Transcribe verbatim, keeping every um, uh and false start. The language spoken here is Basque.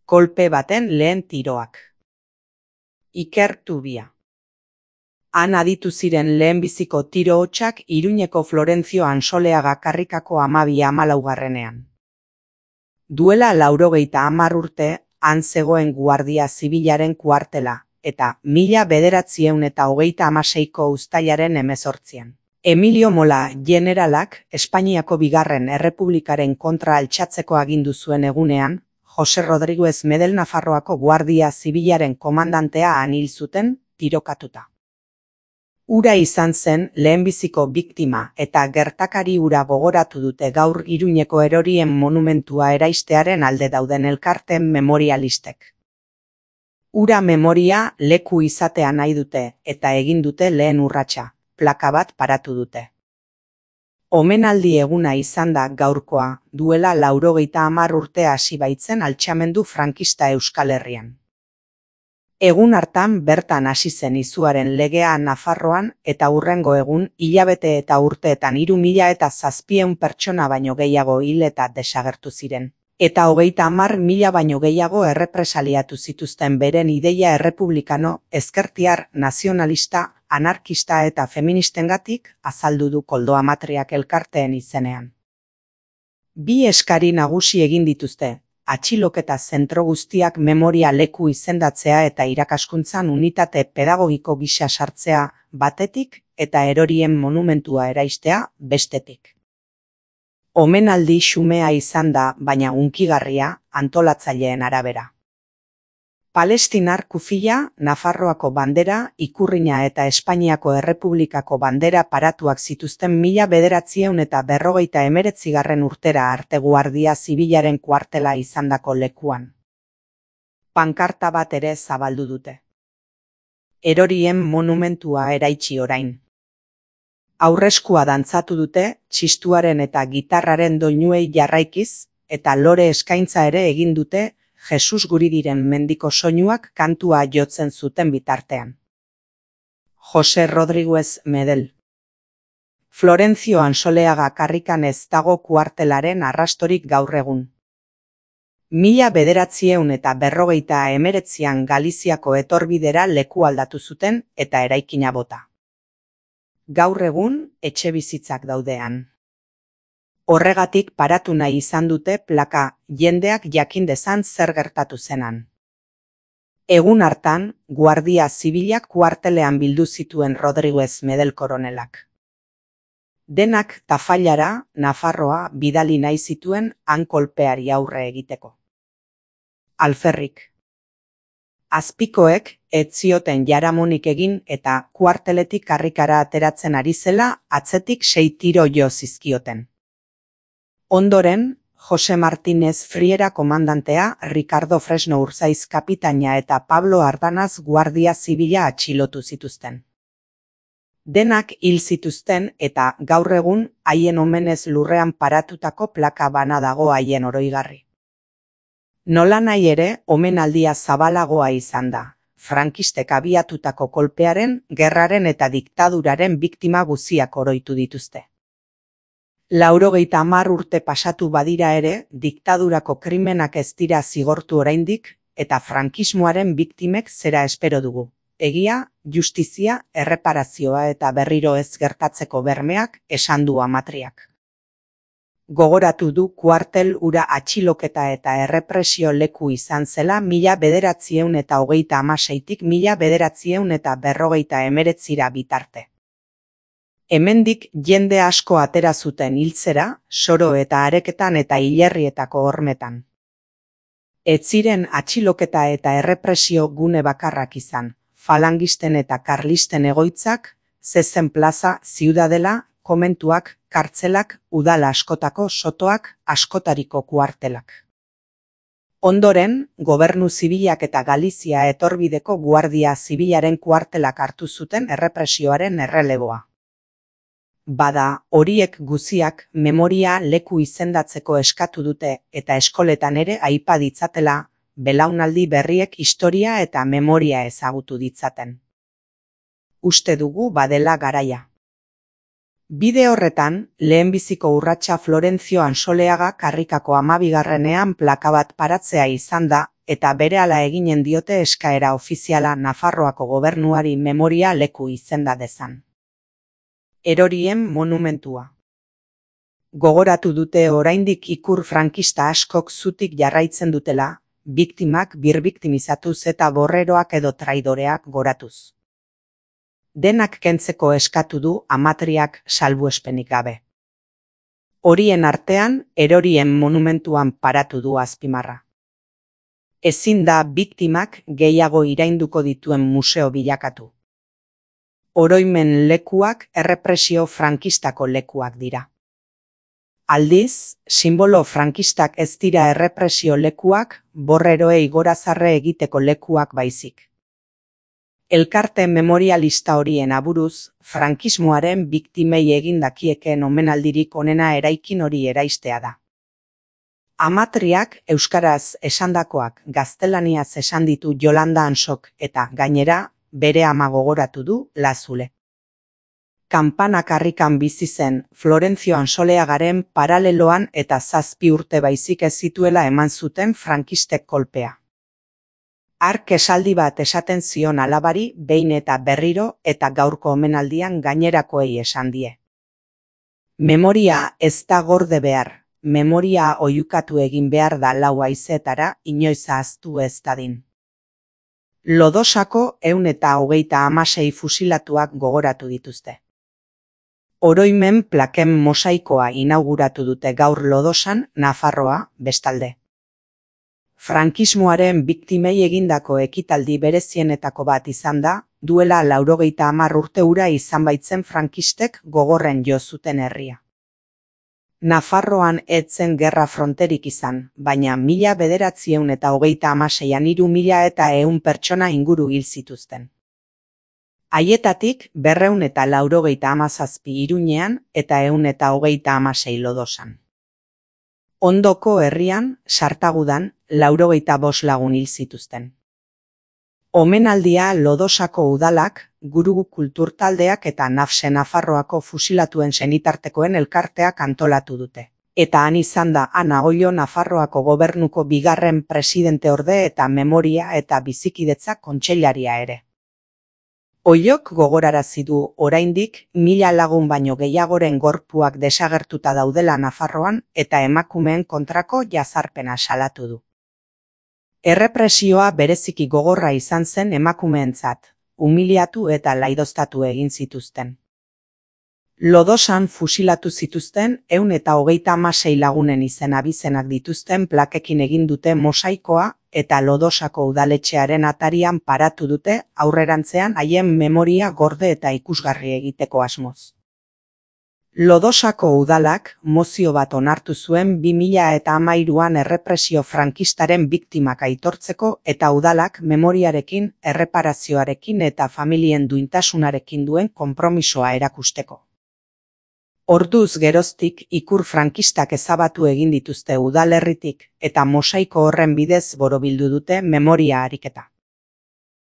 Kolpe baten lehen tiroak. Iker Tubia. Han aditu ziren lehenbiziko tiro hotsak Iruñeko Florentzio Ansoleaga karrikako hamabi hamalaugarrenean. Duela laurogeita hamar urte, han zegoen Guardia Zibilaren kuartela, eta mila bederatziehun eta hogeita hamaseiko uztailaren hemezortzian. Emilio Mola generalak Espainiako bigarren errepublikaren kontra altxatzeko agindu zuen egunean, Jose Rodriguez Medel Nafarroako Guardia Zibilaren komandantea han hil zuten, tirokatuta. Hura izan zen lehenbiziko biktima eta gertakari hura gogoratu dute gaur Iruñeko erorien monumentua eraistearen alde dauden elkarteen memorialistek. Hura memoria leku izatea nahi dute eta egin dute lehen urratsa, plaka bat paratu dute. Omenaldi eguna izan da gaurkoa, duela laurogeita hamar urte hasi baitzen altxamendu frankista Euskal Herrian. Egun hartan bertan hasi zen izuaren legea Nafarroan eta hurrengo egun hilabete eta urteetan hiru mila eta zazpieun pertsona baino gehiago hil eta desagertu ziren. Eta hogeita hamar mila baino gehiago errepresaliatu zituzten beren ideia errepublikano, ezkertiar, nazionalista, anarkista eta feministengatik azaldu du Koldo Amatriak elkarteen izenean. Bi eskari nagusi egin dituzte, atxiloketa zentro guztiak memoria leku izendatzea eta irakaskuntzan unitate pedagogiko gisa sartzea batetik eta erorien monumentua eraistea bestetik. Omenaldi xumea izan da, baina hunkigarria, antolatzaileen arabera. Palestinar kufila, Nafarroako bandera, ikurrina eta Espainiako Errepublikako bandera paratuak zituzten mila bederatzieun eta berrogeita hemeretzigarren urtera arte Guardia Zibilaren kuartela izandako lekuan. Pankarta bat ere zabaldu dute. Erorien monumentua eraitsi orain. Aurreskua dantzatu dute, txistuaren eta gitarraren doinuei jarraikiz, eta lore eskaintza ere egin dute, Jesus guri diren mendiko soinuak kantua jotzen zuten bitartean. Jose Rodriguez Medel. Florentzio Ansoleaga karrikan ez dago kuartelaren arrastorik gaur egun. Mila bederatzieun eta berrogeita hemeretzian Galiziako etorbidera leku aldatu zuten eta eraikina bota. Gaur egun etxe bizitzak daudean. Horregatik paratu nahi izan dute plaka jendeak jakin dezan zer gertatu zenan. Egun hartan, Guardia Zibilak kuartelean bildu zituen Rodriguez Medel koronelak. Denak tafailara, Nafarroa bidali nahi zituen han kolpeari aurre egiteko. Alferrik. Azpikoek ez zioten jaramonik egin eta kuarteletik karrikara ateratzen ari zela atzetik sei tiro jo zizkioten. Ondoren, Jose Martínez Friera komandantea, Ricardo Fresno Urzaiz kapitaina eta Pablo Ardanaz Guardia Zibila atxilotu zituzten. Denak hil zituzten eta gaur egun haien omenez lurrean paratutako plaka bana dago haien oroigarri. Nolanahi ere, omenaldia zabalagoa izan da, frankistek abiatutako kolpearen, gerraren eta diktaduraren biktima guziak oroitu dituzte. Laurogeita hamar urte pasatu badira ere, diktadurako krimenak ez dira zigortu oraindik, eta frankismoaren biktimek zera espero dugu. Egia, justizia, erreparazioa eta berriro ez gertatzeko bermeak esan du Amatriak. Gogoratu du kuartel hura atxiloketa eta errepresio leku izan zela mila bederatzieun eta hogeita hamaseitik mila bederatzieun eta berrogeita hemeretzira bitarte. Hemendik jende asko atera zuten hiltzera, soro eta areketan eta hilerrietako hormetan. Ez ziren atxiloketa eta errepresio gune bakarrak izan, falangisten eta karlisten egoitzak, zezen plaza, ziudadela, komentuak, kartzelak, udala askotako sotoak, askotariko kuartelak. Ondoren, Gobernu Zibilak eta Galizia etorbideko Guardia Zibilaren kuartelak hartu zuten errepresioaren erreleboa. Bada, horiek guziak memoria leku izendatzeko eskatu dute eta eskoletan ere aipa ditzatela, belaunaldi berriek historia eta memoria ezagutu ditzaten. Uste dugu badela garaia. Bide horretan, lehenbiziko urratsa Florentzio Ansoleaga karrikako hamabigarrenean plaka bat paratzea izan da, eta berehala eginen diote eskaera ofiziala Nafarroako gobernuari memoria leku izenda dezan. Erorien monumentua. Gogoratu dute oraindik ikur frankista askok zutik jarraitzen dutela, biktimak birbiktimizatuz eta borreroak edo traidoreak goratuz. Denak kentzeko eskatu du Amatriak salbuespenik gabe. Horien artean, erorien monumentuan paratu du azpimarra. Ezin da biktimak gehiago irainduko dituen museo bilakatu. Oroimen lekuak errepresio frankistako lekuak dira. Aldiz, simbolo frankistak ez dira errepresio lekuak, borreroei gorazarre egiteko lekuak baizik. Elkarte memorialista horien aburuz, frankismoaren biktimei egin dakieken omenaldirik onena eraikin hori eraistea da. Amatriak euskaraz esandakoak gaztelaniaz esan ditu Jolanda Ansok eta gainera bere ama gogoratu du Lazule. Kanpanak harrikan bizi zen Florentzio Ansoleagaren paraleloan eta zazpi urte baizik ez zituela eman zuten frankistek kolpea. Hark esaldi bat esaten zion alabari behin eta berriro eta gaurko omenaldian gainerakoei esan die. Memoria ez da gorde behar, memoria oihukatu egin behar da lau haizeetara inoiz ahaztu ez dadin. Lodosako ehun eta hogeita hamasei fusilatuak gogoratu dituzte. Oroimen plaken mosaikoa inauguratu dute gaur Lodosan, Nafarroa, bestalde. Frankismoaren biktimei egindako ekitaldi berezienetako bat izan da, duela laurogeita hamar urte hura izan baitzen frankistek gogorren jo zuten herria. Nafarroan ez zen gerra fronterik izan, baina mila bederatziehun eta hogeita hamaseian hiru mila eta ehun pertsona inguru hil zituzten. Haietatik berrehun eta laurogeita hamazazpi Iruñean eta ehun eta hogeita hamasei Lodosan. Ondoko herrian, Sartagudan, laurogeita bost lagun hil zituzten. Omenaldia Lodosako udalak, Gurugu kulturtaldeak eta Nafse Nafarroako fusilatuen senitartekoen elkarteak antolatu dute. Eta han izan da Ana Oio Nafarroako gobernuko bigarren presidenteorde eta memoria eta bizikidetza kontseilaria ere. Oiok gogorarazi du oraindik mila lagun baino gehiagoren gorpuak desagertuta daudela Nafarroan eta emakumeen kontrako jazarpena salatu du. Errepresioa bereziki gogorra izan zen emakumeentzat, umiliatu eta laidoztatu egin zituzten. Lodosan fusilatu zituzten ehun eta hogeita hamasei lagunen izen abizenak dituzten plakekin egin dute mosaikoa eta Lodosako udaletxearen atarian paratu dute aurrerantzean haien memoria gorde eta ikusgarri egiteko asmoz. Lodosako udalak mozio bat onartu zuen bi mila hamairuan errepresio frankistaren biktimak aitortzeko eta udalak memoriarekin, erreparazioarekin eta familien duintasunarekin duen konpromisoa erakusteko. Orduz geroztik ikur frankistak ezabatu egin dituzte udalerritik eta mosaiko horren bidez borobildu dute memoria ariketa.